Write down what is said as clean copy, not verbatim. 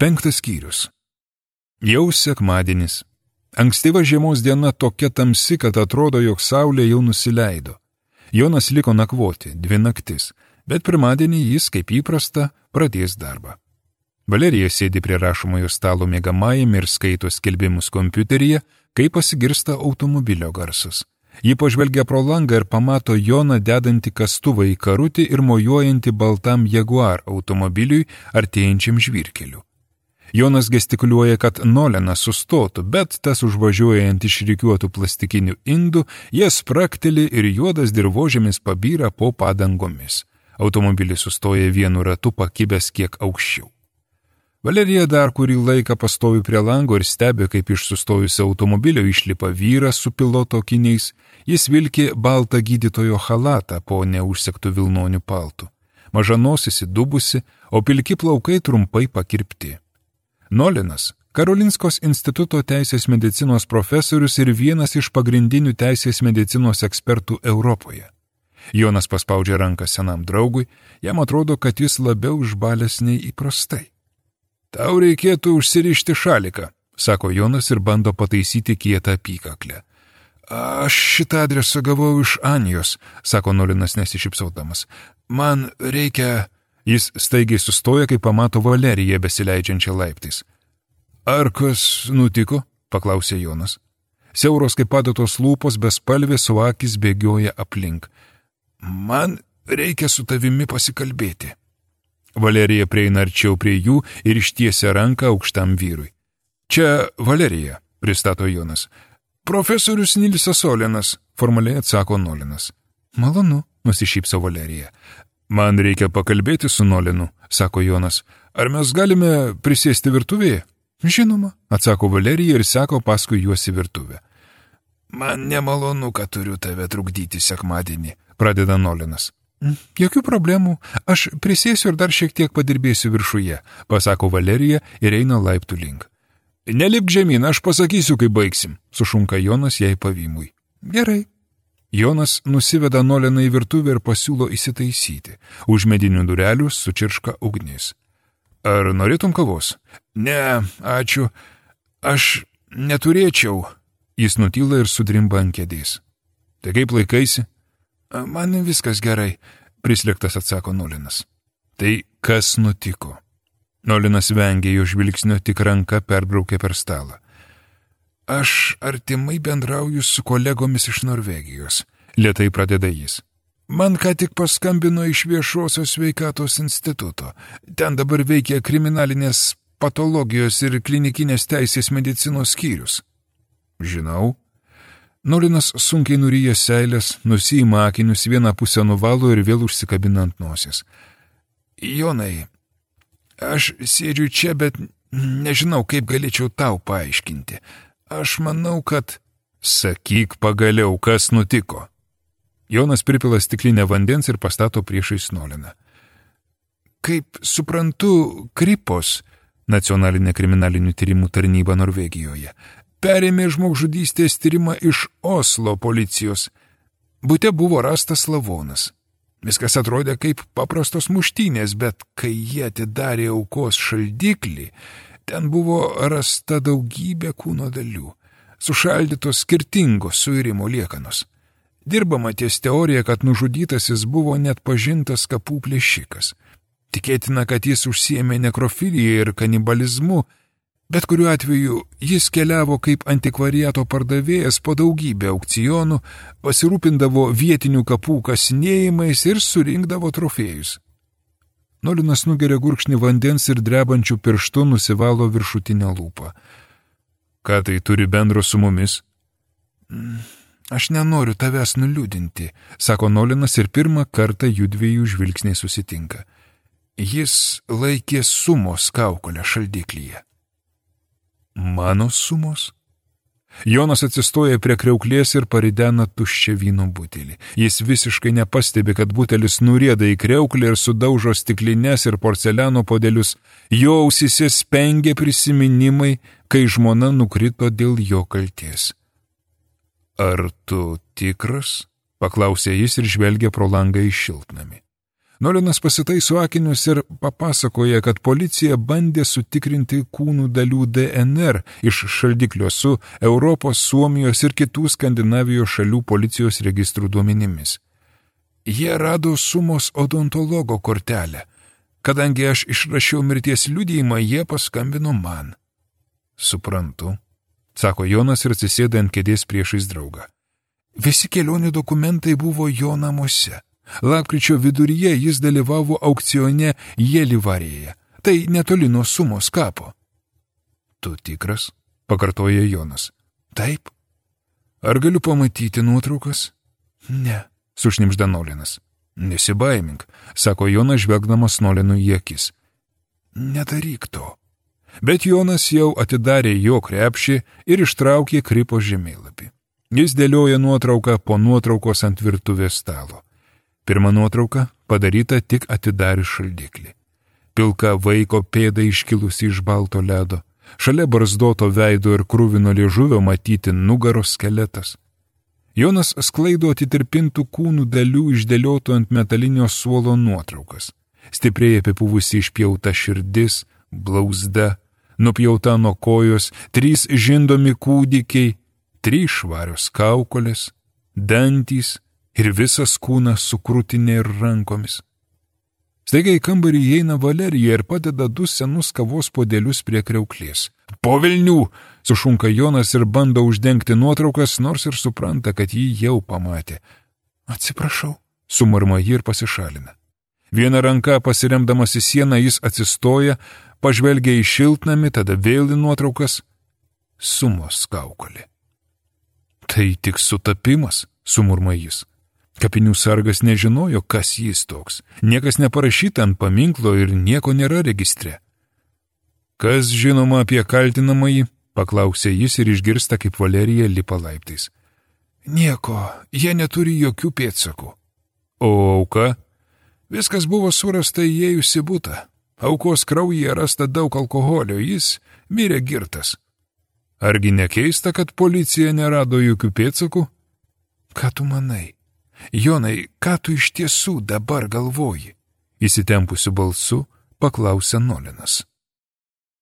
5 skyrius. Jau sekmadienis. Ankstyva žiemos diena tokia tamsi, kad atrodo, jog saulė jau nusileido. Jonas liko nakvoti 2 naktis, bet pirmadienį jis, kaip įprasta, pradės darbą. Valerija sėdi prie rašomojo stalo miegamajame ir skaito skelbimus kompiuteryje, kai pasigirsta automobilio garsas. Ji pažvelgia pro langą ir pamato Joną dedantį kastuvą į karutį ir mojuojantį baltam Jaguar automobiliui artėjančiam žvyrkeliu. Jonas gestikuliuoja, kad Nolenas sustotų, bet tas užvažiuoja ant išrikiuotų plastikinių indų, jie sprakteli ir juodas dirvožėmis pabyra po padangomis. Automobilis sustoja vienu ratu pakibęs kiek aukščiau. Valerija dar kurį laiką pastovi prie lango ir stebi, kaip iš sustojusio automobilio išlipa vyras su piloto akiniais. Jis vilki baltą gydytojo chalatą po neužsegtų vilnonių paltų. Maža nosis įdubusi, o pilki plaukai trumpai pakirpti. Nolenas – Karolinskos instituto teisės medicinos profesorius ir vienas iš pagrindinių teisės medicinos ekspertų Europoje. Jonas paspaudžia ranką senam draugui, jam atrodo, kad jis labiau išbalęs nei įprastai. Tau reikėtų užsirišti šaliką, sako Jonas ir bando pataisyti kietą apykaklę. Aš šitą adresą gavau iš Anijos, sako Nolenas nesišypsaudamas. Man reikia... Jis staigiai sustoja, kai pamato Valeriją besileidžiančią laiptais. Ar kas nutiko? Paklausė Jonas. Siauros kaip padatos lūpos bespalvės, o akis bėgioja aplink. Man reikia su tavimi pasikalbėti. Valerija prieina arčiau prie jų ir ištiesia ranką aukštam vyrui. Čia Valerija, pristato Jonas. Profesorius Nilsas Olenas, formaliai atsako Nolenas. Malonu, nusišypso Valerija. Man reikia pakalbėti su Nolenu, sako Jonas. Ar mes galime prisėsti virtuvėje? Žinoma, atsako Valerija ir sako paskui juos į virtuvę. Man nemalonu, kad turiu tave trukdyti sekmadienį, pradeda Nolenas. Jokių problemų, aš prisėsiu ir dar šiek tiek padirbėsiu viršuje, pasako Valerija ir eina laiptų link. Nelipk žemyn, aš pasakysiu, kai baigsim, sušunka Jonas jai pavymui. Gerai. Jonas nusiveda Noleną į virtuvę ir pasiūlo įsitaisyti. Už medinių durelių sučirška ugnis. Ar norėtum kavos? Ne, ačiū. Aš neturėčiau. Jis nutyla ir sudrimba ant kėdės. Tai kaip laikaisi? Man viskas gerai, prislėgtas atsako Nolenas. Tai kas nutiko? Nolenas vengė jo žvilgsnio, tik ranka perbraukė per stalą. Aš artimai bendrauju su kolegomis iš Norvegijos, lėtai pradeda jis. Man ką tik paskambino iš Viešosios sveikatos instituto. Ten dabar veikia kriminalinės patologijos ir klinikinės teisės medicinos skyrius. Žinau. Nolenas sunkiai nuryja seilės, nusiima akinius, vieną pusę nuvalo ir vėl užsikabina ant nosies. Jonai, aš sėdžiu čia, bet nežinau, kaip galėčiau tau paaiškinti. Aš manau, kad... Sakyk pagaliau, kas nutiko. Jonas pripila stiklinę vandens ir pastato priešais Noleną. Kaip suprantu, Kripos, nacionalinė kriminalinių tyrimų tarnyba Norvegijoje, perėmė žmogžudystės tyrimą iš Oslo policijos. Bute buvo rastas lavonas. Viskas atrodė kaip paprastos muštynės, bet kai jie atidarė aukos šaldiklį, ten buvo rasta daugybė kūno dalių, sušaldytos skirtingos suirimo liekanos. Dirbama ties teorija, kad nužudytasis buvo net pažintas kapų plėšikas. Tikėtina, kad jis užsiėmė nekrofiliją ir kanibalizmu, bet kuriuo atveju jis keliavo kaip antikvariato pardavėjas po daugybę aukcionų, pasirūpindavo vietinių kapų kasinėjimais ir surinkdavo trofėjus. Nolenas nugeria gurkšnį vandens ir drebančių pirštų nusivalo viršutinę lūpą. Ką tai turi bendro su mumis? Aš nenoriu tavęs nuliūdinti, sako Nolenas ir pirmą kartą jųdviejų žvilgsniai susitinka. Jis laikė sumos kaukolę šaldiklyje. Mano sumos? Jonas atsistoja prie kriauklės ir paridena tuščią vyno butelį. Jis visiškai nepastebi, kad butelis nurieda į kriauklę ir sudaužo stiklines ir porceliano podelius. Jo ausyse spengia prisiminimai, kai žmona nukrito dėl jo kaltės. Ar tu tikras? Paklausė jis ir žvelgia pro langą į šiltnamį. Nolinas pasitaiso akinius ir papasakoja, kad policija bandė sutikrinti kūnų dalių DNR iš šaldiklio su Europos, Suomijos ir kitų Skandinavijos šalių policijos registrų duomenimis. Jie rado Sumos odontologo kortelę. Kadangi aš išrašiau mirties liudijimą, jie paskambino man. Suprantu, sako Jonas ir atsisėda ant kėdės priešais draugą. Visi kelionių dokumentai buvo jo namuose. Lapkričio viduryje jis dalyvavo aukcione Jėlivarėje. Tai netoli nuo Sumos kapo. Tu tikras? Pakartoja Jonas. Taip. Ar galiu pamatyti nuotraukas? Ne, sušnibžda Nolinas. Nesibaimink, sako Jonas žvelgdamas Nolinui į akis. Nedaryk to. Bet Jonas jau atidarė jo krepšį ir ištraukė kripo žemėlapį. Jis dėlioja nuotrauką po nuotraukos ant virtuvės stalo. Pirma nuotrauka padaryta tik atidarius šaldiklį. Pilka vaiko pėda iškilusi iš balto ledo. Šalia barzdoto veido ir kruvino liežuvio matyti nugaros skeletas. Jonas sklaido atitirpintų kūnų dalių išdėliotų ant metalinio suolo nuotraukas. Stipriai apipuvusi išpjauta širdis, blauzda, nupjauta nuo kojos, 3 žindomi kūdikiai, 3 švarios kaukolės, dantys ir visas kūnas su krūtinė ir rankomis. Staiga į kambarį įeina Valerija ir padeda 2 senus kavos puodelius prie kriauklės. Po velnių, sušunka Jonas ir bando uždengti nuotraukas, nors ir supranta, kad jį jau pamatė. Atsiprašau, sumurma ji ir pasišalina. Viena ranka pasiremdamas į sieną jis atsistoja, pažvelgia į šiltnamį, tada vėl į nuotraukas. Sumos kaukolė. Tai tik sutapimas, sumurma jis. Kapinių sargas nežinojo, kas jis toks. Niekas neparašyta ant paminklo ir nieko nėra registre. Kas žinoma apie kaltinamąjį, paklausė jis ir išgirsta, kaip Valerija lipa laiptais. Nieko, jie neturi jokių pėdsakų. O auka? Viskas buvo surasta įėjus į butą. Aukos kraujyje rasta daug alkoholio, jis mirė girtas. Argi nekeista, kad policija nerado jokių pėdsakų? Ką tu manai? Jonai, ką tu iš tiesų dabar galvoji? Įsitempusiu balsu paklausė Nolinas.